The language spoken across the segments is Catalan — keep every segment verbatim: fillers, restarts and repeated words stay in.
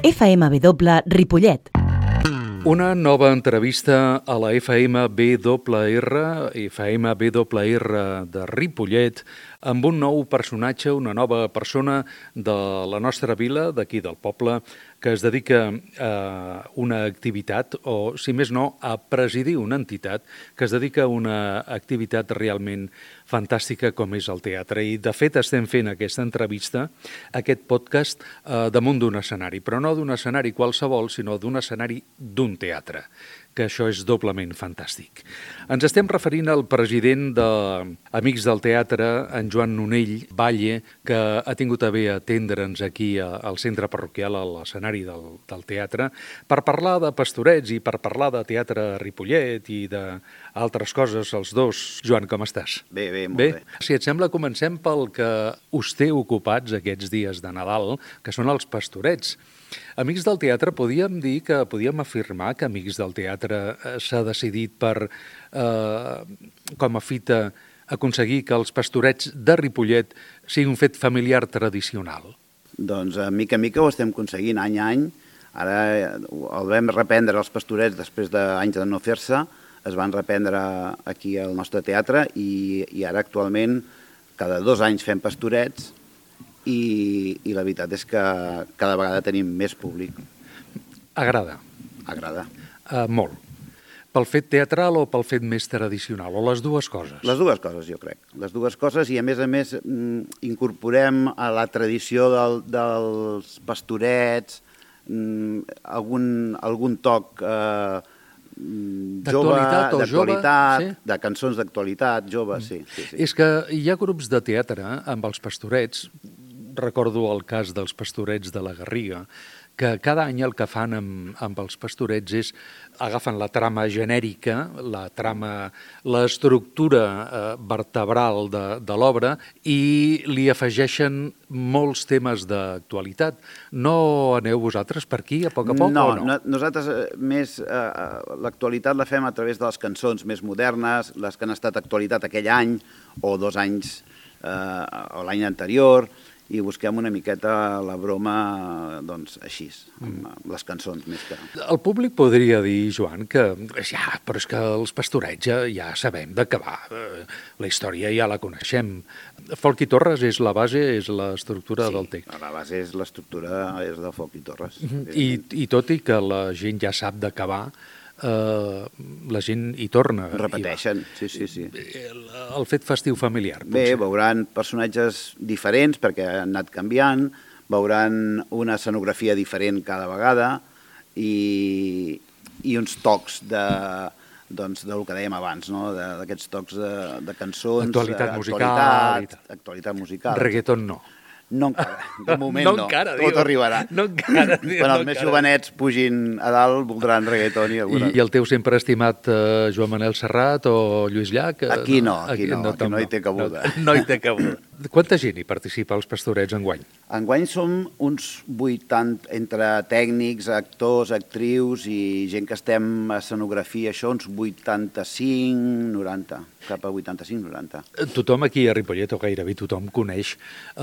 F M W Ripollet. Una nova entrevista a la F M W R, F M W R de Ripollet, amb un nou personatge, una nova persona de la nostra vila, d'aquí del poble, que es dedica a una activitat, o si més no, a presidir una entitat que es dedica a una activitat realment fantàstica com és el teatre. I, de fet, estem fent aquesta entrevista, aquest podcast, eh, damunt d'un escenari, però no d'un escenari qualsevol, sinó d'un escenari d'un teatre, que això és doblement fantàstic. Ens estem referint al president d'Amics del Teatre, en Joan Nonell Valle, que ha tingut a bé atendre'ns aquí al centre parroquial, a l'escenari del, del teatre, per parlar de pastorets i per parlar de teatre a Ripollet i d'altres coses, els dos. Joan, com estàs? Bé, bé, molt bé. bé. Si et sembla, comencem pel que us té ocupats aquests dies de Nadal, que són els pastorets. Amics del Teatre, podíem dir que, podíem afirmar que Amics del Teatre s'ha decidit per, eh, com a fita, aconseguir que els pastorets de Ripollet sigui un fet familiar tradicional? Doncs a mica a mica ho estem aconseguint any a any. Ara el vam reprendre els pastorets després d'anys de no fer-se, es van reprendre aquí al nostre teatre i, i ara actualment cada dos anys fem pastorets. I, i la veritat és que cada vegada tenim més públic. Agrada? Agrada. Uh, molt. Pel fet teatral o pel fet més tradicional, o les dues coses? Les dues coses, jo crec. Les dues coses, i a més a més incorporem a la tradició del, dels pastorets algun, algun toc eh, jove, d'actualitat, sí? De cançons d'actualitat, jove, sí, sí, sí. És que hi ha grups de teatre amb els pastorets. Recordo el cas dels pastorets de la Garriga, que cada any el que fan amb, amb els pastorets és agafen la trama genèrica, la trama, l'estructura eh, vertebral de, de l'obra i li afegeixen molts temes d'actualitat. No aneu vosaltres per aquí, a poc a poc, no, o no? No, nosaltres més eh, l'actualitat la fem a través de les cançons més modernes, les que han estat actualitat aquell any o dos anys eh, o l'any anterior, i busquem una miqueta la broma, doncs, així, amb, amb les cançons més que... El públic podria dir, Joan, que ja, però és que els pastorets ja, ja sabem de què va, la història ja la coneixem. Folk i Torres és la base, és l'estructura sí, del text. Sí, la base és l'estructura és de Folk i Torres. I, I tot i que la gent ja sap de què va, Uh, la gent hi torna. Repeteixen, sí, sí, sí. El, el fet festiu familiar, potser. Bé, veuran personatges diferents perquè han anat canviant, veuran una escenografia diferent cada vegada i, i uns tocs de, doncs, del que dèiem abans, no? D'aquests tocs de, de cançons, actualitat musical, actualitat, actualitat musical. Reggaeton no. No encara, de moment no. no, Encara, tot diu. arribarà. No encara, diu, Quan els no més encara. jovenets pugin a dalt voldran reggaeton i alguna... I, I el teu sempre estimat uh, Joan Manel Serrat o Lluís Llach? Aquí no, aquí, aquí no, no, aquí no hi té cabuda. No, no hi té cabuda. Quanta gent hi participa als pastorets enguany? Enguany som uns vuitanta, entre tècnics, actors, actrius i gent que estem a escenografia, això, uns vuitanta-cinc, noranta, cap a vuitanta-cinc, noranta. Tothom aquí a Ripollet, o gairebé tothom, coneix eh,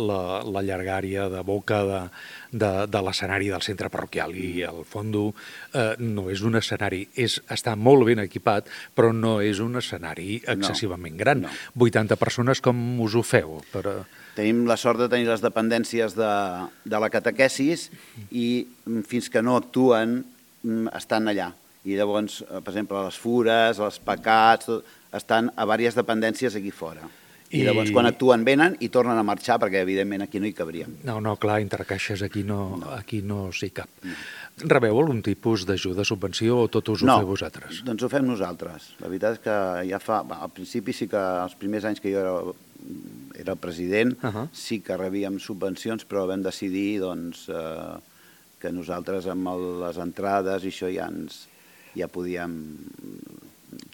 la, la llargària de boca de, de, de l'escenari del centre parroquial i al fondo eh, no és un escenari, és, està molt ben equipat, però no és un escenari excessivament no, gran. No. vuitanta persones, com us ho feu? Per... Tenim la sort de tenir les dependències de, de la catequesis i fins que no actuen estan allà. I llavors, per exemple, les fures, els pecats, tot, estan a diverses dependències aquí fora. I, I llavors quan actuen venen i tornen a marxar perquè evidentment aquí no hi cabríem. No, no, clar, entre caixes aquí no, no. aquí no s'hi cap. No. Rebeu algun tipus d'ajuda, subvenció o tot us ho no, feu vosaltres? No, doncs ho fem nosaltres. La veritat és que ja fa... Al principi sí que els primers anys que jo era, era el president uh -huh. sí que rebíem subvencions, però vam decidir doncs, eh, que nosaltres amb el, les entrades i això ja, ens, ja podíem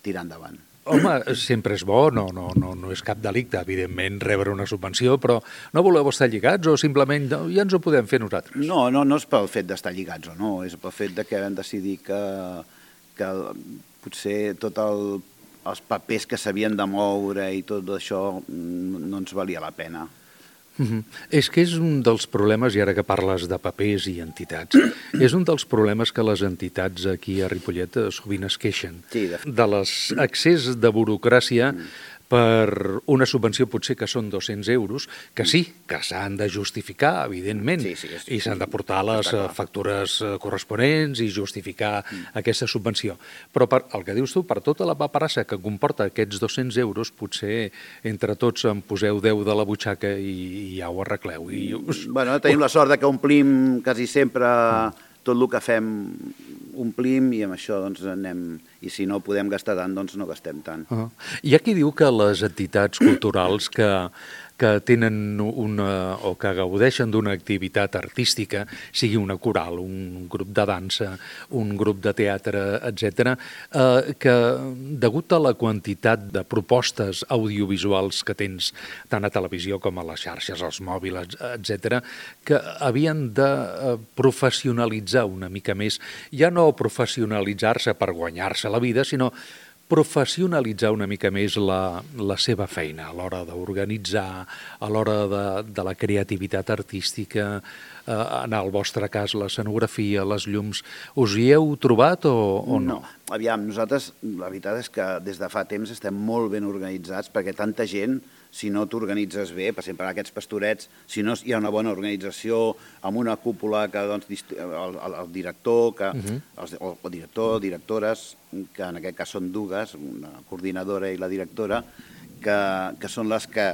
tirar endavant. Home, sempre és bo, no, no, no, no és cap delicte, evidentment, rebre una subvenció, però no voleu estar lligats o simplement no, ja ens ho podem fer nosaltres? No, no, no és pel fet d'estar lligats o no, és pel fet de que vam decidir que, que potser tot el, els papers que s'havien de moure i tot això no ens valia la pena. Mm-hmm. És que és un dels problemes, i ara que parles de papers i entitats, és un dels problemes que les entitats aquí a Ripollet sovint es queixen. Sí, de... de l'excés de burocràcia mm. per una subvenció potser que són dos-cents euros, que sí, que s'han de justificar, evidentment, sí, sí, sí, i s'han de portar les factures corresponents i justificar mm. aquesta subvenció. Però per, el que dius tu, per tota la paperassa que comporta aquests dos-cents euros, potser entre tots en poseu deu de la butxaca i, i ja ho arregleu. I us... Bueno, tenim la sort de que omplim quasi sempre tot el que fem, omplim i amb això doncs anem, i si no podem gastar tant, doncs no gastem tant. Uh -huh. Hi ha qui diu que les entitats culturals que, que tenen una, o que gaudeixen d'una activitat artística, sigui una coral, un grup de dansa, un grup de teatre, etcètera, eh, que degut a la quantitat de propostes audiovisuals que tens tant a televisió com a les xarxes, als mòbils, etcètera, que havien de professionalitzar una mica més, ja no professionalitzar-se per guanyar-se la vida, sinó professionalitzar una mica més la, la seva feina a l'hora d'organitzar, a l'hora de, de la creativitat artística, eh, en el vostre cas l'escenografia, les llums. Us hi heu trobat o, o no? No, aviam, nosaltres la veritat és que des de fa temps estem molt ben organitzats perquè tanta gent, si no t'organitzes bé, per exemple, aquests pastorets, si no hi ha una bona organització amb una cúpula que doncs, el, el, el director, que, uh-huh. els, el, el director, directores, que en aquest cas són dues, una coordinadora i la directora, que, que són les que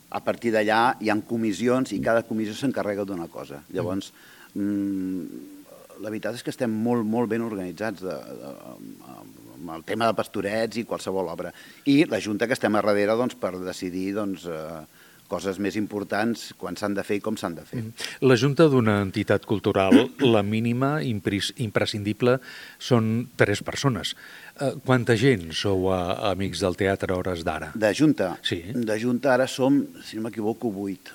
a partir d'allà hi ha comissions i cada comissió s'encarrega d'una cosa. Llavors, mm, la veritat és que estem molt, molt ben organitzats de, de, amb el tema de pastorets i qualsevol obra. I la Junta que estem a darrere doncs, per decidir doncs, eh, coses més importants, quan s'han de fer i com s'han de fer. La Junta d'una entitat cultural, la mínima imprescindible són tres persones. Eh, quanta gent sou a, amics del teatre a hores d'ara? De Junta? Sí. De Junta ara som, si no m'equivoco, vuit.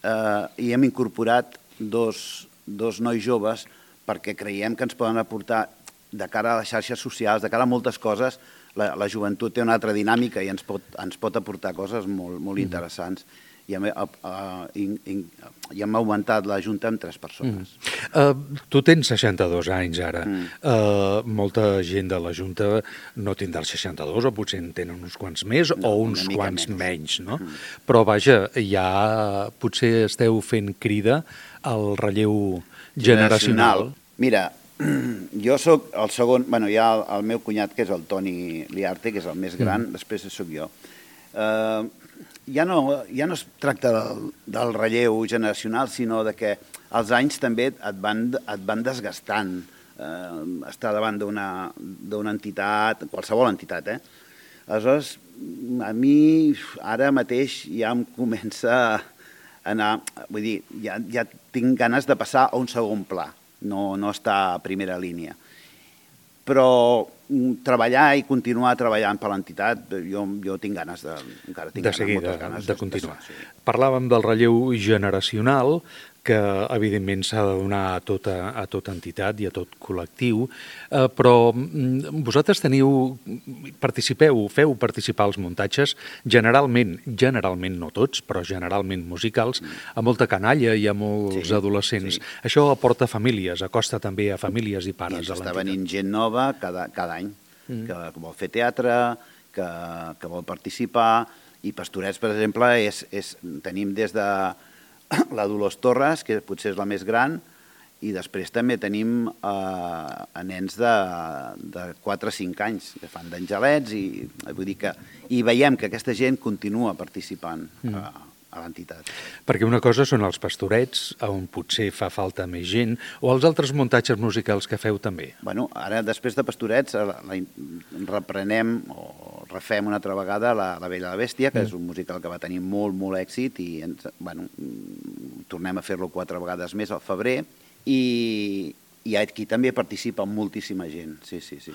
Eh, I hem incorporat dos, dos nois joves perquè creiem que ens poden aportar de cara a les xarxes socials, de cara a moltes coses, la, la joventut té una altra dinàmica i ens pot, ens pot aportar coses molt, molt interessants. I hem, uh, uh, in, in, i hem augmentat la Junta amb tres persones. Mm. Uh, tu tens seixanta-dos anys ara. Mm. Uh, molta gent de la Junta no tindrà els seixanta-dos, o potser en tenen uns quants més, no, o uns quants menys, menys no? Mm. Però vaja, ja potser esteu fent crida al relleu generacional. Mira, jo sóc el segon, bueno, hi ha el, el meu cunyat, que és el Toni Liarte, que és el més gran, mm. després sóc jo. Uh, ja, no, ja no es tracta del, del relleu generacional, sinó de que els anys també et van, et van desgastant. Uh, estar davant d'una entitat, qualsevol entitat, eh? Aleshores, a mi ara mateix ja em comença a anar, vull dir, ja, ja tinc ganes de passar a un segon pla. No, no està a primera línia. Però treballar i continuar treballant per l'entitat, jo, jo tinc ganes de... Encara tinc de ganes, seguir, moltes de, ganes de continuar. De, sí. Parlàvem del relleu generacional, que evidentment s'ha de donar a tota, a tota entitat i a tot col·lectiu, eh, però vosaltres teniu, participeu, feu participar als muntatges, generalment, generalment no tots, però generalment musicals, a molta canalla i a molts sí, adolescents. Sí. Això aporta famílies, acosta també a famílies i pares I a l'entitat. Està venint gent nova cada, cada any, mm. que, que vol fer teatre, que, que vol participar, i Pastorets, per exemple, és, és, tenim des de la Dolors Torres, que potser és la més gran, i després també tenim eh, nens de, de quatre o cinc anys, que fan d'angelets, i, vull dir que, i veiem que aquesta gent continua participant mm. a, a l'entitat. Perquè una cosa són els Pastorets, on potser fa falta més gent, o els altres muntatges musicals que feu també? Bueno, ara, després de Pastorets, la, la, reprenem o refem una altra vegada la, la Bella i la Bèstia, que mm. és un musical que va tenir molt, molt èxit, i ens, bueno, tornem a fer-lo quatre vegades més al febrer, i, i aquí també participa moltíssima gent, sí, sí, sí.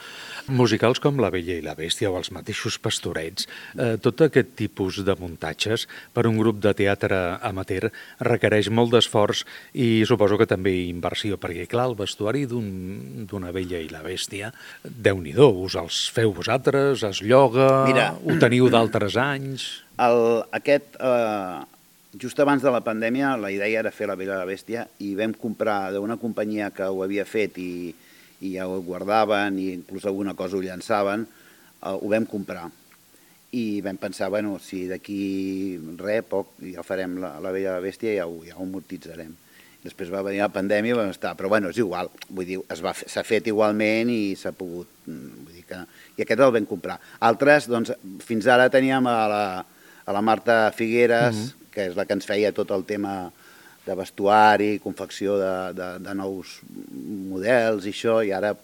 Musicals com La Bella i la Bèstia o els mateixos Pastorets, eh, tot aquest tipus de muntatges per un grup de teatre amateur requereix molt d'esforç i suposo que també inversió, perquè clar, el vestuari d'una un, Bella i la Bèstia, Déu-n'hi-do, us els feu vosaltres, es lloga, Mira, ho teniu d'altres anys... El, aquest... Eh, just abans de la pandèmia la idea era fer La Bella i la Bèstia i vam comprar d'una companyia que ho havia fet i, i ja ho guardaven i inclús alguna cosa ho llançaven, eh, ho vam comprar. I vam pensar, bueno, si d'aquí res, poc, ja farem la, la Bella i la Bèstia i ja ho, ja ho amortitzarem. Després va venir la pandèmia i vam estar, però bueno, és igual, vull dir, s'ha fet igualment i s'ha pogut, vull dir que... I aquest el vam comprar. Altres, doncs, fins ara teníem a la, a la Marta Figueres, mm-hmm. que és la que ens feia tot el tema de vestuari, confecció de, de, de nous models i això, i ara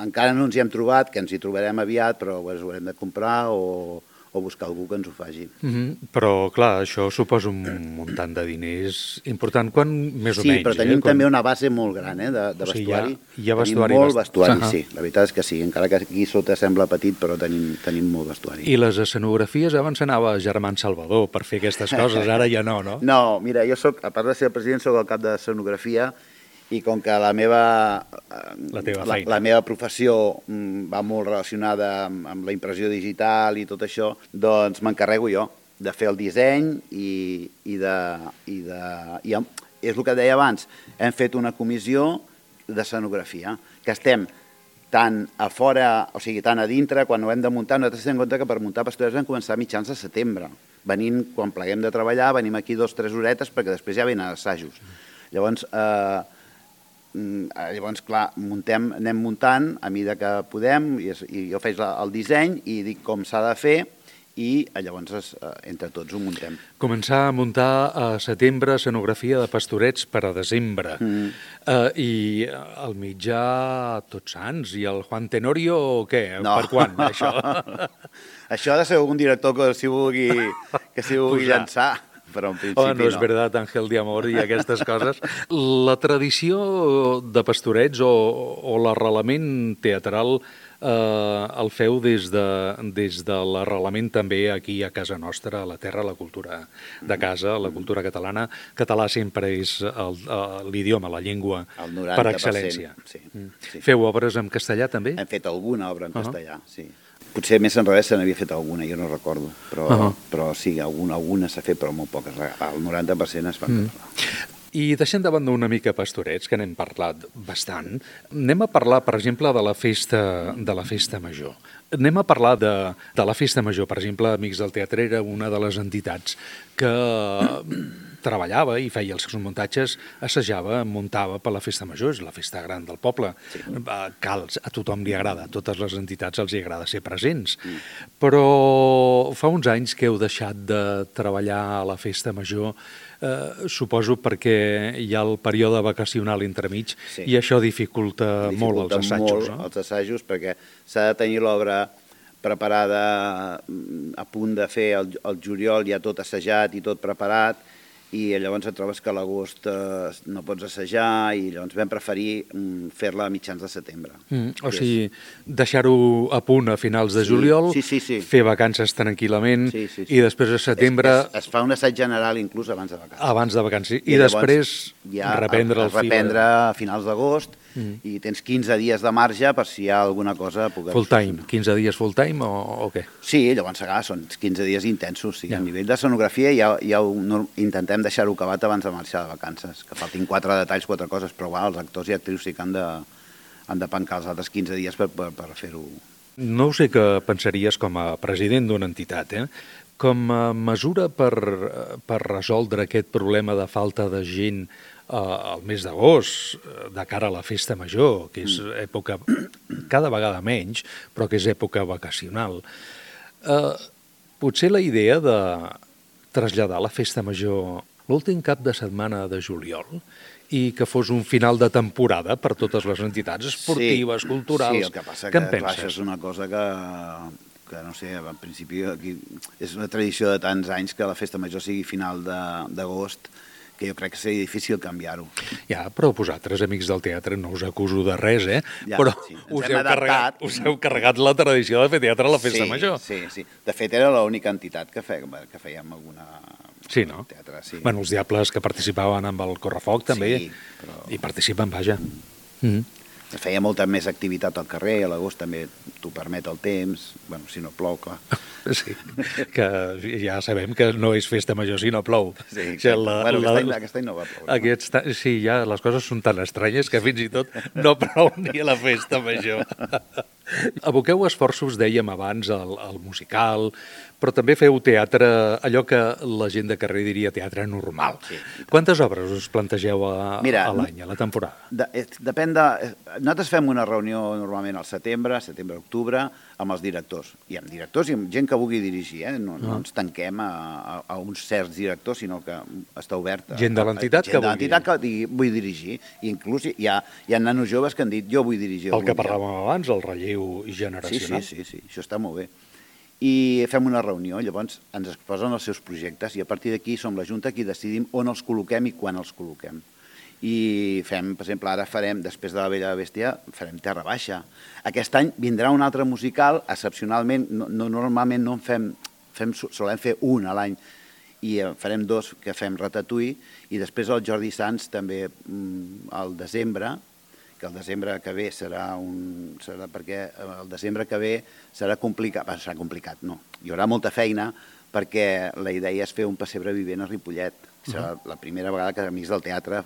encara no ens hi hem trobat, que ens hi trobarem aviat, però ho haurem de comprar o... o buscar algú que ens ho faci. Mm-hmm. Però, clar, això suposa un muntant de diners important, quan més o sí, menys. Sí, però tenim eh? quan... també una base molt gran eh, de, de o sigui, vestuari. Hi ha, hi ha vestuari. Tenim molt bast... vestuari, uh-huh. sí. La veritat és que sí, encara que aquí sota sembla petit, però tenim, tenim molt vestuari. I les escenografies, abans anava Germán Salvador per fer aquestes coses, ara ja no, no? No, mira, jo soc, a part de ser el president, soc el cap d'escenografia i com que la meva, la, teva la, la meva professió va molt relacionada amb, amb la impressió digital i tot això, doncs m'encarrego jo de fer el disseny i, i de... I de i és el que deia abans, hem fet una comissió d'escenografia, que estem tant a fora, o sigui, tant a dintre, quan ho hem de muntar, nosaltres tenim en compte que per muntar pastorets vam començar a mitjans de setembre. Venint, quan pleguem de treballar, venim aquí dos o tres horetes perquè després ja venen assajos. Llavors, eh, Llavors, clar, muntem, anem muntant a mida que podem i, es, i jo faig la, el disseny i dic com s'ha de fer i llavors es, entre tots ho muntem. Començar a muntar a setembre escenografia de pastorets per a desembre. Mm. Uh, I el mitjà Tots Sants i el Juan Tenorio o què? No. Per quan, això? Això ha de ser algun director que s'hi vulgui, que s'hi vulgui llançar. Però en principi oh, no és no. veritat, Àngel de Amor i aquestes coses. La tradició de pastorets o, o l'arrelament teatral eh, el feu des de, des de l'arrelament també aquí a casa nostra, a la terra, la cultura de casa, la cultura catalana. Català sempre és l'idioma, la llengua per excel·lència. Sí, sí. Feu obres en castellà també? Hem fet alguna obra en castellà, uh-huh. sí. Potser més enrere se n'havia fet alguna, jo no recordo, però, uh-huh. però sí, alguna, alguna s'ha fet, però molt poques. El noranta per cent es fa en català. Mm. I deixem de banda una mica pastorets, que n'hem parlat bastant, anem a parlar, per exemple, de la festa, de la festa major. Anem a parlar de, de la festa major. Per exemple, Amics del Teatre era una de les entitats que treballava i feia els seus muntatges, assajava, muntava per la festa major, és la festa gran del poble. Sí. Cal, a tothom li agrada, a totes les entitats els hi agrada ser presents. Mm. Però fa uns anys que heu deixat de treballar a la festa major, eh, suposo perquè hi ha el període vacacional entremig sí. i això dificulta, dificulta molt els assajos. Molt no? els assajos perquè s'ha de tenir l'obra preparada a punt de fer el, el juliol, ja tot assajat i tot preparat, i llavors et trobes que a l'agost eh, no pots assajar i llavors vam preferir mm, fer-la a mitjans de setembre. Mm, o sigui, és... deixar-ho a punt a finals de juliol, sí, sí, sí, sí. fer vacances tranquil·lament sí, sí, sí. i després a setembre... Es, es, es fa un assaig general inclús abans de vacances. Abans de vacances. I, I després ja reprendre el fil. Reprendre a finals d'agost mm. i tens quinze dies de marge per si hi ha alguna cosa... Full time, quinze dies full time o, o què? Sí, llavors ah, són quinze dies intensos. Sí. Ja. A nivell d'escenografia ja, ja ho, intentem deixar-ho acabat abans de marxar de vacances, que faltin quatre detalls, quatre coses, però va, els actors i actrius sí que han de, han de pencar els altres quinze dies per, per, per fer-ho. No ho sé què pensaries com a president d'una entitat, eh? Com a mesura per, per resoldre aquest problema de falta de gent eh, al mes d'agost, de cara a la festa major, que és època cada vegada menys, però que és època vacacional. Eh, potser la idea de traslladar la festa major l'últim cap de setmana de juliol i que fos un final de temporada per totes les entitats esportives, sí, culturals. Sí, el que passa que que clar, això és una cosa que, que no sé, en principi aquí és una tradició de tants anys que la festa major sigui final d'agost, que jo crec que seria difícil canviar-ho. Ja, però vosaltres, Amics del Teatre, no us acuso de res, eh? Ja, però sí, us heu, carregat, us heu carregat la tradició de fer teatre a la festa sí, major. Sí, sí. De fet, era l'única entitat que, fe, que fèiem alguna... Sí, no? Teatre, sí. Bueno, els Diables que participaven amb el Correfoc també, sí, però... i participen, vaja. Mm. Feia molta més activitat al carrer, a l'agost també t'ho permet el temps, bueno, si no plou, clar. Sí, que ja sabem que no és festa major si no plou. Sí, o sigui, la, bueno, la, aquest, any, aquest any no va ploure. Aquests, sí, ja les coses són tan estranyes que fins i tot no plou ni a la festa major. Aboqueu esforços, dèiem abans, al, al musical, però també feu teatre, allò que la gent de carrer diria teatre normal. Sí. Quantes obres us plantegeu a, Mira, a l'any, a la temporada? De, depèn de... Nosaltres fem una reunió normalment al setembre, setembre-octubre, amb els directors. I amb directors i amb gent que vulgui dirigir, eh? No, no ens tanquem a, a, a uns certs directors, sinó que està obert. Gent de l'entitat que vulgui. Gent de l'entitat que digui, vull dirigir. I inclús hi ha, hi ha nanos joves que han dit, jo vull dirigir. El que parlàvem abans, el relleu generacional. Sí, sí, sí, sí, això està molt bé. I fem una reunió, llavors ens exposen els seus projectes i a partir d'aquí som la Junta qui decidim on els col·loquem i quan els col·loquem. I fem, per exemple, ara farem, després de la Bella Bèstia, farem Terra Baixa. Aquest any vindrà un altre musical, excepcionalment, no, no, normalment no en fem, fem, solem fer un a l'any, i farem dos, que fem Ratatouille, i després el Jordi Sans també al desembre, que el desembre que ve serà un... serà perquè el desembre que ve serà complicat, serà complicat, no. Hi haurà molta feina perquè la idea és fer un pessebre vivent a Ripollet. Serà la primera vegada que Amics del Teatre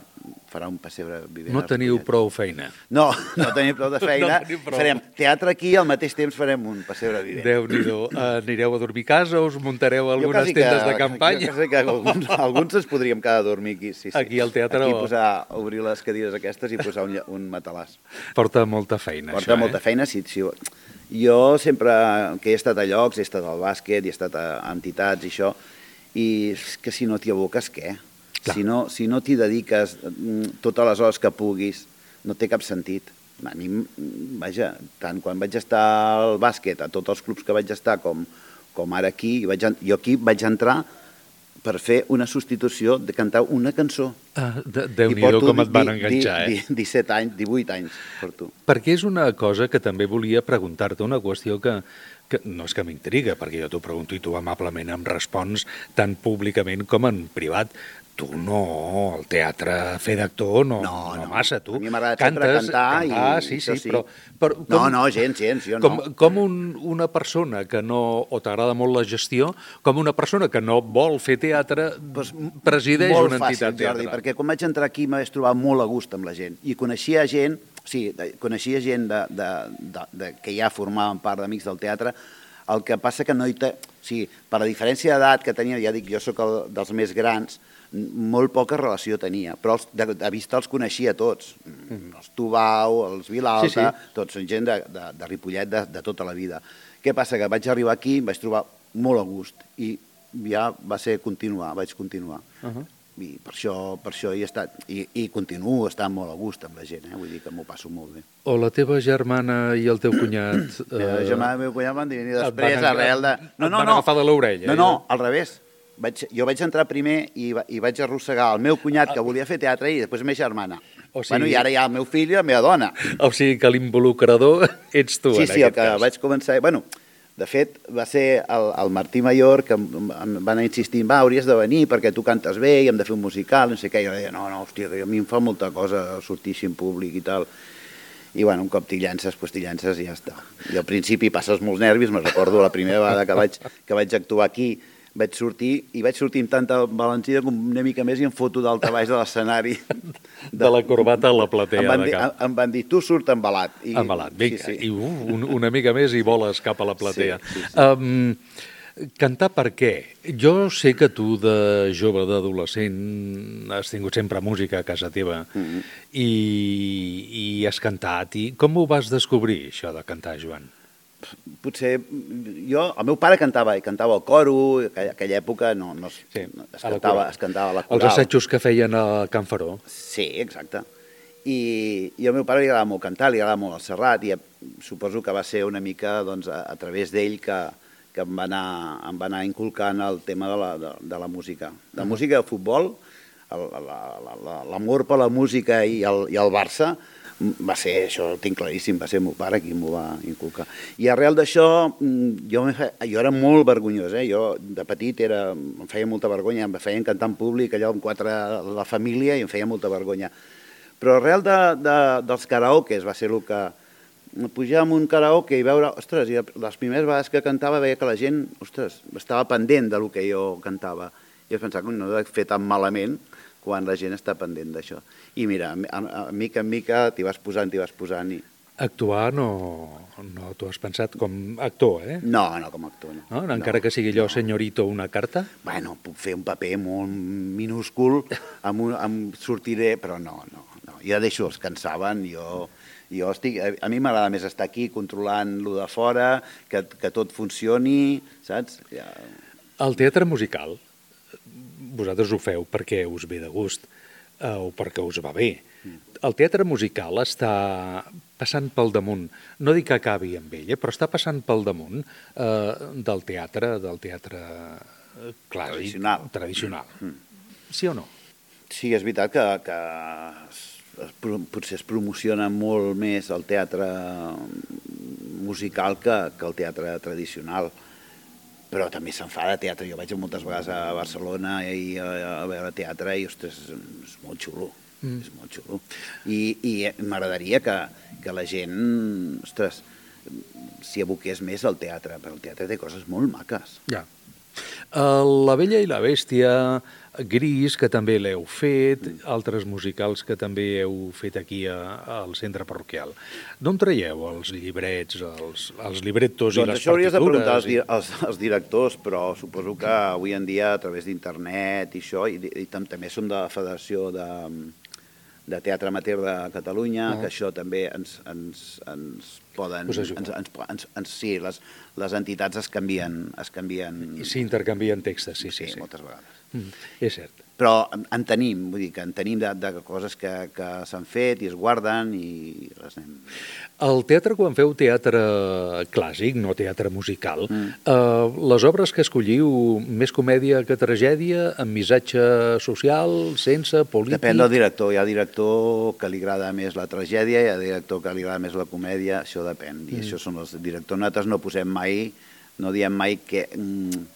farà un pessebre vivent no a Ripollet. No teniu prou feina. No, no tenim prou de feina. No prou. Farem teatre aquí i al mateix temps farem un pessebre vivent. Déu-n'hi-do. Anireu a dormir a casa o us muntareu algunes tendes que, de campanya? Jo quasi que alguns, alguns ens podríem quedar a dormir aquí. Sí, sí. Aquí al teatre. Aquí posar, obrir les cadires aquestes i posar un, un matalàs. Porta molta feina, Porta això, molta eh? feina, sí, sí. Jo sempre que he estat a llocs, he estat al bàsquet, he estat a entitats i això, i és que si no t'hi aboques, què? Si no, si no t'hi dediques totes les hores que puguis, no té cap sentit. A mi, vaja, tant quan vaig estar al bàsquet, a tots els clubs que vaig estar, com, com ara aquí, vaig, jo aquí vaig entrar per fer una substitució de cantar una cançó. Ah, Déu-n'hi-do com et van enganxar, eh? disset anys, divuit anys, per tu. Perquè és una cosa que també volia preguntar-te, una qüestió que, que no és que m'intriga, perquè jo t'ho pregunto i tu amablement em respons tant públicament com en privat. Tu no, el teatre, fer d'actor, no, no, no, no massa, tu. A mi m'agrada sempre cantar. cantar i sí, sí, sí, però... però com, no, no, gens, gens, jo com, no. Com un, una persona que no, o t'agrada molt la gestió, com una persona que no vol fer teatre, pues, presideix una entitat fàcil, teatral. Jordi, perquè quan vaig entrar aquí m'haig trobat molt a gust amb la gent i coneixia gent, sí, coneixia gent de, de, de, de, que ja formaven part d'Amics del Teatre. El que passa que no hi té... Sí, per la diferència d'edat que tenia, ja dic, jo sóc el, dels més grans, molt poca relació tenia, però els, de, de vista els coneixia tots. Els Tubau, els Vilalta, sí, sí. Tots són gent de, de, de Ripollet de, de tota la vida. Què passa? Que vaig arribar aquí, em vaig trobar molt a gust i ja va ser continuar, vaig continuar. Uh -huh. I per això, per això hi he estat. I, i continuo estant molt a gust amb la gent, eh? Vull dir que m'ho passo molt bé. O la teva germana i el teu cunyat... eh... La germana i el meu cunyat van venir després, arrel de... No, no, no. agafar de l'orella. No, no, al revés. Vaig, jo vaig entrar primer i, i vaig arrossegar el meu cunyat que volia fer teatre i després la meva germana. O sigui, bueno, i ara hi ha el meu fill i la meva dona. O sigui que l'involucrador ets tu, sí, en sí, aquest cas. Sí, sí, el que vaig començar... Bueno, de fet, va ser el, el Martí Mayor que em, em van insistir, va, hauries de venir perquè tu cantes bé i hem de fer un musical, no sé què. I jo deia, no, no, hòstia, que a mi em fa molta cosa sortir així en públic i tal. I bueno, un cop t'hi llances, doncs t'hi llances i ja està. I al principi passes molts nervis, me'n recordo la primera vegada que vaig, que vaig actuar aquí, vaig sortir, i vaig sortir amb tanta valentia com una mica més i em foto d'alta baix de l'escenari. De, de la corbata a la platea em van, de cap. Em, em van dir, tu surt embalat. I, embalat, vinga, sí, sí. i uh, un, una mica més i voles cap a la platea. Sí, sí, sí. Um, cantar per què? Jo sé que tu de jove, d'adolescent, has tingut sempre música a casa teva mm-hmm. i, i has cantat. I com ho vas descobrir, això de cantar, Joan? Potser, jo, el meu pare cantava, cantava al coro, aquella, aquella època no, no, sí, es, cantava, es cantava a la coral. Els assajos que feien a Can Faró. Sí, exacte. I, i al meu pare li agradava molt cantar, li agradava molt el Serrat, i suposo que va ser una mica doncs, a, a través d'ell que, que em, va anar, em va anar inculcant el tema de la, de, de la música. De la música de futbol, l'amor per la música i el, i el Barça, va ser, això ho tinc claríssim, va ser el meu pare qui m'ho va inculcar. I arrel d'això, jo, jo era molt vergonyós, eh? Jo de petit era, em feia molta vergonya, em feien cantar en públic, allò amb quatre, la família, i em feia molta vergonya. Però arrel de, de, dels karaokes va ser el que... Pujar a un karaoke i veure... Ostres, i les primeres vegades que cantava veia que la gent, ostres, estava pendent del que jo cantava. I vaig pensar que no he de fer tan malament quan la gent està pendent d'això. I mira, a, a mica en mica t'hi vas posant, t'hi vas posant i... Actuar no, no t'ho has pensat com actor, eh? No, no com a actor, no. no? Encara no, que sigui allò, no. Senyorito, una carta? Bueno, puc fer un paper molt minúscul, amb, un, amb sortiré, però no, no, no. Jo deixo els que en saben, jo... Jo estic, a mi m'agrada més estar aquí controlant lo de fora, que, que tot funcioni, saps? Ja... El teatre musical, vosaltres ho feu perquè us ve de gust eh, o perquè us va bé. El teatre musical està passant pel damunt, no dic que acabi amb ell, però està passant pel damunt eh, del teatre, del teatre clàssic, tradicional. tradicional. Mm. Sí o no? Sí, és veritat que, que es, potser es promociona molt més el teatre musical que, que el teatre tradicional, però també se'n fa de teatre. Jo vaig moltes vegades a Barcelona i a, a veure teatre i, ostres, és molt xulo. Mm. És molt xulo. I, i m'agradaria que, que la gent, ostres, s'hi aboqués més al teatre, perquè el teatre té coses molt maques. Ja. La Bella i la Bèstia, Gris, que també l'heu fet, mm. altres musicals que també heu fet aquí a, al centre parroquial. D'on traieu els llibrets, els, els librettos doncs i les partitures? Doncs això hauries de preguntar als, als, als directors, però suposo que avui en dia a través d'internet i això, i, i també som de la Federació de, de Teatre Amateur de Catalunya, uh -huh. que això també ens, ens, ens poden... Ens, ens, ens, ens, sí, les, les entitats es canvien... Es canvien... I s'intercanvien textos, sí, sí, sí. Sí, moltes vegades. Mm, és cert. Però en tenim, vull dir que en tenim de, de coses que, que s'han fet i es guarden i les anem... El teatre, quan feu teatre clàssic, no teatre musical, mm. eh, les obres que escolliu, més comèdia que tragèdia, amb missatge social, sense, polític... Depèn del director. Hi ha director que li agrada més la tragèdia, hi ha director que li agrada més la comèdia, això depèn. I mm. això són els directors. Nosaltres no posem mai, no diem mai que... Mm,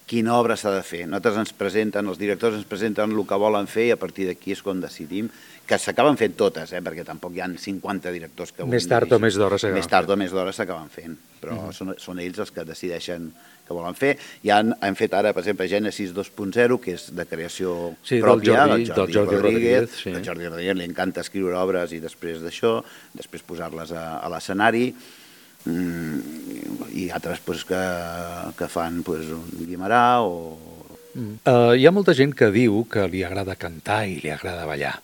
quina obra s'ha de fer. Nosaltres ens presenten, els directors ens presenten el que volen fer i a partir d'aquí és quan decidim, que s'acaben fent totes, eh, perquè tampoc hi ha cinquanta directors que... Més tard o més d'hora s'acaben Més tard o més d'hora s'acaben fent, però uh -huh. són, són ells els que decideixen que volen fer. Ja han, han fet ara, per exemple, Gènesis dos punt zero, que és de creació sí, pròpia, del Jordi, del Jordi, del Jordi Rodríguez. Rodríguez sí. El Jordi Rodríguez li encanta escriure obres i després d'això, després posar-les a, a l'escenari. Mm, i altres pues, que, que fan pues, un Guimarà o... Mm. Uh, hi ha molta gent que diu que li agrada cantar i li agrada ballar,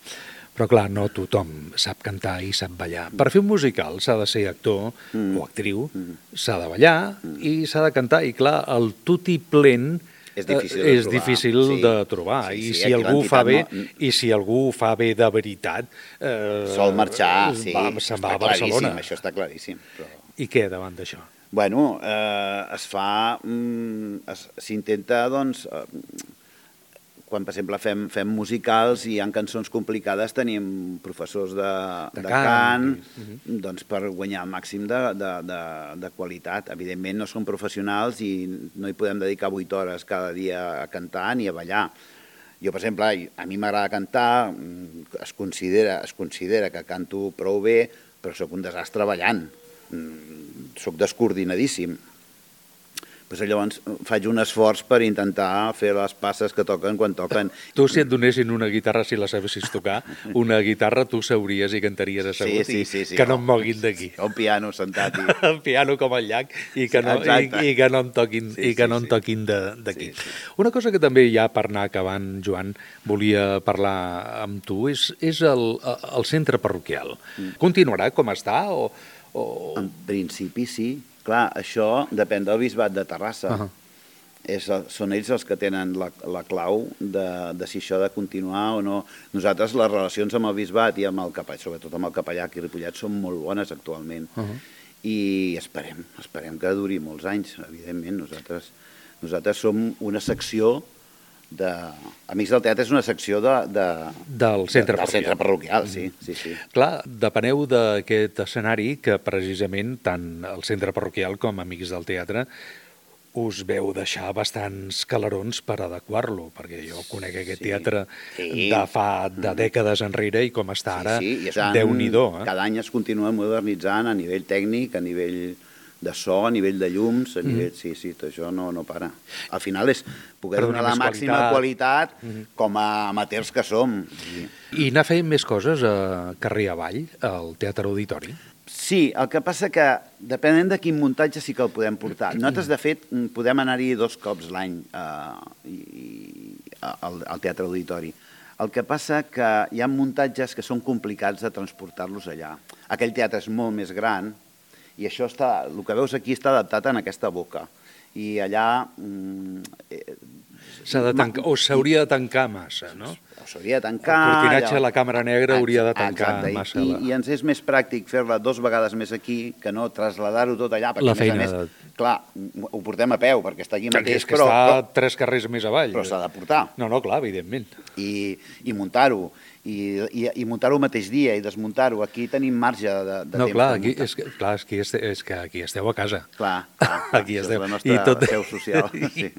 però clar, no tothom sap cantar i sap ballar. Per fer un musical s'ha de ser actor mm. o actriu, mm. s'ha de ballar mm. i s'ha de cantar, i clar, el tutti plen és difícil de és trobar, difícil sí. de trobar. Sí, sí, I si algú fa bé, no... i si algú fa bé de veritat, eh, sol marxar, sí, va, se'n va a Barcelona. Això està claríssim. Però... I què davant d'això? Bueno, eh, es fa... Mm, s'intenta, doncs... Eh, quan, per exemple, fem, fem musicals i hi ha cançons complicades, tenim professors de, de, de cant, cant uh-huh. doncs per guanyar el màxim de, de, de, de qualitat. Evidentment no som professionals i no hi podem dedicar vuit hores cada dia a cantar ni a ballar. Jo, per exemple, a mi m'agrada cantar, es considera, es considera que canto prou bé, però sóc un desastre ballant. Sóc descoordinadíssim. Pues llavors faig un esforç per intentar fer les passes que toquen quan toquen. Tu, si et donessin una guitarra, si la sabessis tocar, una guitarra tu seuries i cantaries assegut, sí, sí, sí, sí, i que no em moguin d'aquí. Un piano sentat. I... El piano com el llac i que no, i, i que no en toquin, sí, i que no en toquin d'aquí. Sí, sí. Una cosa que també ja per anar acabant, Joan, volia parlar amb tu, és, és el, el centre parroquial. Mm. Continuarà com està o... O... En principi sí. Clar, això depèn del bisbat de Terrassa. Uh -huh. És, són ells els que tenen la, la clau de, de si això ha de continuar o no. Nosaltres les relacions amb el bisbat i amb el capellà, sobretot amb el capellà aquí a Ripollet, són molt bones actualment. Uh -huh. I esperem, esperem que duri molts anys, evidentment. Nosaltres, nosaltres som una secció de... Amics del Teatre és una secció de, de, del centre de, del centre parroquial, sí, sí, sí. Clar, depeneu d'aquest escenari que precisament tant el centre parroquial com Amics del Teatre us veu deixar bastants calarons per adequar-lo, perquè jo conec aquest Sí, teatre sí. de fa de dècades enrere i com està ara, Sí, sí, i estan- Déu-n'hi-do. Eh? Cada any es continua modernitzant a nivell tècnic, a nivell de so, a nivell de llums, a nivell... Mm. Sí, sí, tot això no, no para. Al final és poder Per donar donar la més màxima qualitat. qualitat, mm. com a amateurs que som. Sí. I anar fent més coses a carrer avall, al Teatre Auditori? Sí, el que passa que, depenent de quin muntatge, sí que el podem portar. Nosaltres, de fet, podem anar-hi dos cops l'any eh, i- al, al Teatre Auditori. El que passa que hi ha muntatges que són complicats de transportar-los allà. Aquell teatre és molt més gran i això està, el que veus aquí està adaptat en aquesta boca. I allà... Mm, eh, S'ha de tancar, o s'hauria de tancar massa, no? s'hauria de tancar... El cortinatge allà- a la càmera negra hauria de tancar Exacte, i- massa I, la- I ens és més pràctic fer-la dos vegades més aquí que no traslladar-ho tot allà, perquè La a més feina a més, de- clar, ho portem a peu, perquè està aquí Perquè mateix, és que però, està però, tres carrers més avall. però s'ha de portar. No, no, clar, evidentment. I, i muntar-ho, i, i, i muntar-ho el mateix dia, i desmuntar-ho. Aquí tenim marge de, de No, temps. clar, per aquí, muntar. és, que, clar és, que, és, és que aquí esteu a casa. Clar, clar, clar, Aquí això esteu. és la nostra seu social. Sí.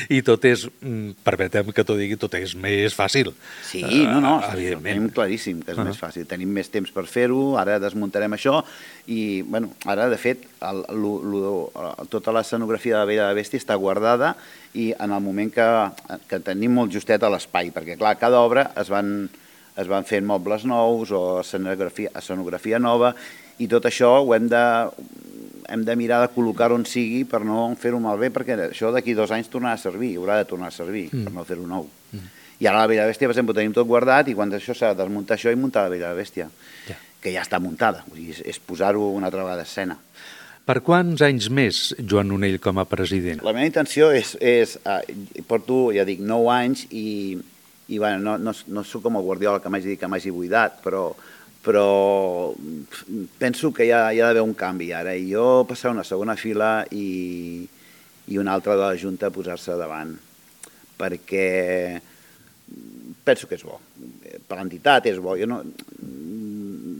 I, I tot és, mm, permetem que t'ho digui, tot és més fàcil. Sí, no, no, Uh, ho evidentment. tenim claríssim que és Uh -huh. més fàcil. Tenim més temps per fer-ho, ara desmuntarem això i, bueno, ara, de fet, el, lo, lo, tota l'escenografia de la Bella i la Bèstia està guardada i en el moment que, que tenim molt justet a l'espai, perquè, clar, cada obra es van, es van fent mobles nous o escenografia, escenografia nova i tot això ho hem de, hem de mirar de col·locar on sigui per no fer-ho malbé, perquè això d'aquí dos anys tornarà a servir, haurà de tornar a servir, mm. per no fer-ho nou. Mm. I ara la Bella i la Bèstia, per exemple, ho tenim tot guardat i quan això s'ha de desmuntar això i muntar la Bella i la Bèstia, Ja. que ja està muntada, vull dir, és, és posar-ho una altra vegada d'escena. Per quants anys més, Joan Nonell, com a president? La meva intenció és, és uh, porto, ja dic, nou anys i, i bueno, no, no, no soc com el Guardiola que m'hagi dit que m'hagi buidat, però, però penso que hi ha, hi ha d'haver un canvi ara i jo passar una segona fila i, i una altra de la Junta a posar-se davant, perquè penso que és bo. Per l'entitat és bo. Jo no,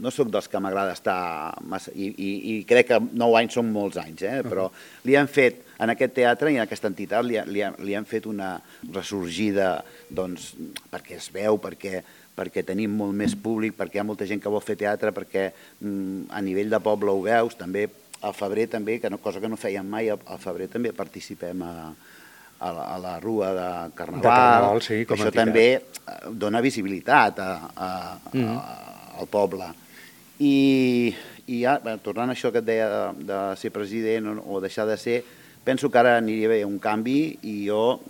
no sóc dels que m'agrada estar massa... I, i, I crec que nou anys són molts anys, eh? Però li han fet, en aquest teatre i en aquesta entitat, li, li, li han fet una ressorgida, doncs, perquè es veu, perquè, perquè tenim molt més públic, perquè hi ha molta gent que vol fer teatre, perquè mm, a nivell de poble ho veus, també al febrer també, que no, cosa que no fèiem mai, al, al febrer també participem a, a, la, a la rua de Carnaval, de Carnaval sí, com a això entitat. també dona visibilitat a, a, mm. a, al poble. I, i ja, bueno, tornant a això que et deia de, de ser president o, o deixar de ser, penso que ara aniria bé un canvi i jo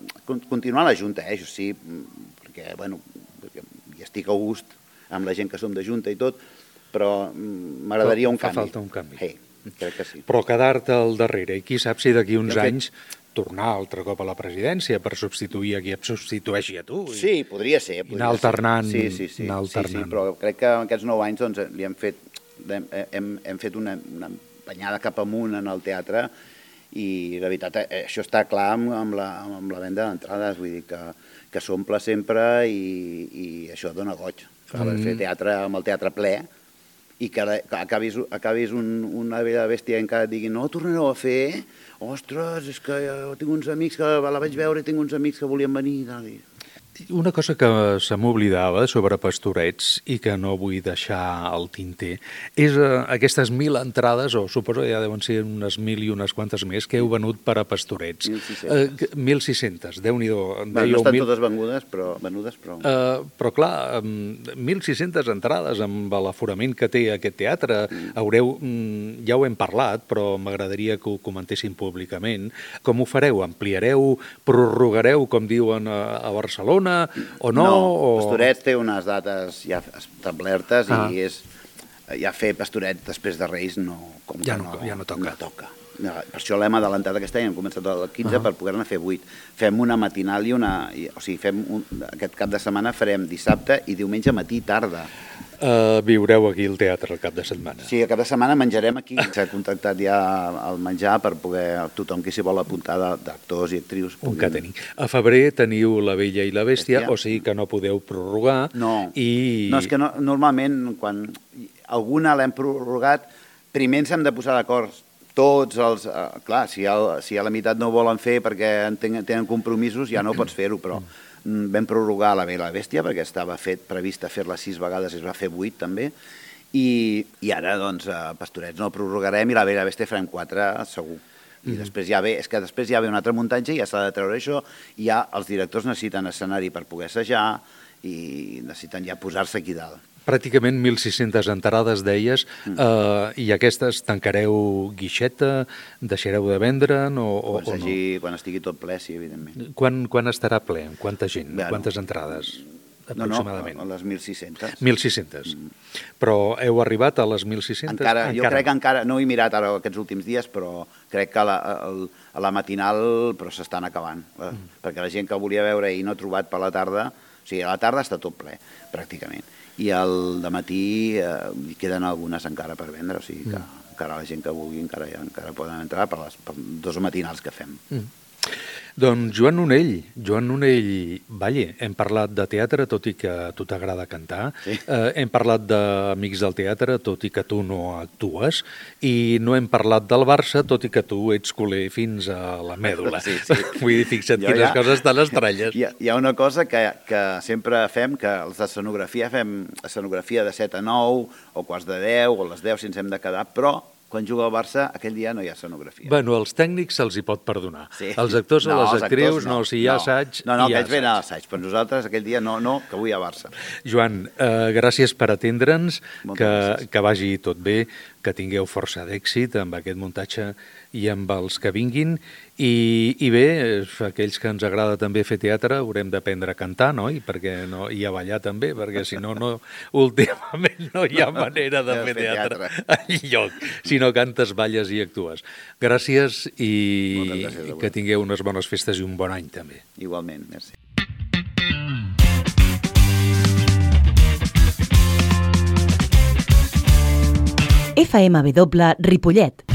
continuar a la Junta, eh, això sí, perquè, bueno, perquè hi estic a gust amb la gent que som de Junta i tot, però m'agradaria un Fa canvi. falta un canvi. Sí, crec que sí. Però quedar-te al darrere, i qui sap si d'aquí uns De fet- anys tornar altre cop a la presidència per substituir a qui et substitueixi a tu. I... Sí, podria ser. Podria anar alternant, ser. Sí, sí, sí, anar sí, sí, alternant. però crec que en aquests nou anys doncs, li hem fet, hem, hem, hem fet una, una banyada cap amunt en el teatre i la veritat, eh, això està clar amb, amb, la, amb la venda d'entrades, vull dir que, que s'omple sempre i, i això dona goig. Mm. Fer teatre amb el teatre ple i que, que acabis, acabis un, una Bella Bèstia i encara et diguin no, tornareu a fer, ostres, és que jo tinc uns amics que la vaig veure i tinc uns amics que volien venir. Una cosa que se m'oblidava sobre Pastorets i que no vull deixar al tinter és eh, aquestes mil entrades, o suposo que ja deuen ser unes mil i unes quantes més, que heu venut per a Pastorets. mil sis-centes. Eh, mil sis-centes, Déu-n'hi-do. Bueno, no estan mil... totes venudes, però, venudes, però... Uh, però clar, um, mil sis-centes entrades amb l'aforament que té aquest teatre, mm. haureu, um, ja ho hem parlat, però m'agradaria que ho comentessin públicament. Com ho fareu? Ampliareu, prorrogareu, com diuen a, a Barcelona, o no? No, o... Pastorets té unes dates ja establertes ah. i és, ja fer Pastoret després de Reis no, com ja que no, no, ja no toca. No toca. No, per això l'hem adelantat aquest any, hem començat el quinze uh -huh. per poder-ne fer vuit. Fem una matinal i una... I, o sigui, fem un, aquest cap de setmana farem dissabte i diumenge matí i tarda. Uh, viureu aquí al teatre el cap de setmana. Sí, el cap de setmana menjarem aquí. S'ha contactat ja el menjar per poder... Tothom que s'hi vol apuntar d'actors i actrius. Un catering. A febrer teniu La Bella i la Bèstia, Bèstia. o sigui que no podeu prorrogar. No, i... no és que no, normalment quan alguna l'hem prorrogat, primer ens hem de posar d'acord tots els... Eh, clar, si, el, si a la meitat no ho volen fer perquè tenen, tenen compromisos, ja no pots fer-ho, però mm, vam prorrogar La Bella i la Bèstia perquè estava fet prevista fer-la sis vegades i es va fer vuit també, i, i ara, doncs, a Pastorets no prorrogarem i La Bella i la Bèstia farem quatre segur. I mm-hmm. després ja ve, és que després ja ve un altre muntatge i ja s'ha de treure això, i ja els directors necessiten escenari per poder assajar i necessiten ja posar-se aquí dalt. Pràcticament mil sis-centes entrades, deies, mm. eh, i aquestes tancareu guixeta, deixareu de vendre'n o, o, quan, o no? Quan estigui tot ple, sí, evidentment. Quan, quan estarà ple? Quanta gent? Bé, Quantes entrades? Aproximadament. No, no, a les mil sis-centes. mil sis-centes. Mm. Però heu arribat a les mil sis-centes? Encara, jo encara. crec que encara, no he mirat ara aquests últims dies, però crec que a la, a, a la matinal però s'estan acabant. Mm. Perquè la gent que volia veure i no ha trobat per la tarda, o sigui, a la tarda està tot ple, pràcticament. I al dematí eh, hi queden algunes encara per vendre, o sigui que mm. encara la gent que vulgui encara, encara poden entrar per les per dos matinals que fem. Mm. Doncs Joan Nonell, Joan Nonell, valle, hem parlat de teatre, tot i que a tu t'agrada cantar, sí. eh, hem parlat d'Amics del Teatre, tot i que tu no actues, i no hem parlat del Barça, tot i que tu ets culer fins a la mèdula. Sí, sí. Vull dir, fixa't quines ja, coses tan estranyes. Hi ha, hi ha una cosa que, que sempre fem, que els d'escenografia fem escenografia de set a nou, o quarts de deu, o les deu si ens hem de quedar, però quan juga el Barça, aquell dia no hi ha escenografia. Bueno, als tècnics se'ls hi pot perdonar. Sí. Els actors o no, les actrius, no. no, si hi ha no. assaig... No, no, hi ha aquells venen a l'assaig, però nosaltres aquell dia no, no, que avui hi ha Barça. Joan, eh, gràcies per atendre'ns, que, que vagi tot bé, que tingueu força d'èxit amb aquest muntatge i amb els que vinguin. I, i bé, aquells que ens agrada també fer teatre haurem d'aprendre a cantar, no? I, perquè no, i a ballar també, perquè si no, no últimament no hi ha manera de fer teatre enlloc. Si no cantes, balles i actues. Gràcies i gràcies que tingueu unes bones festes i un bon any també. Igualment, merci. F M W Ripollet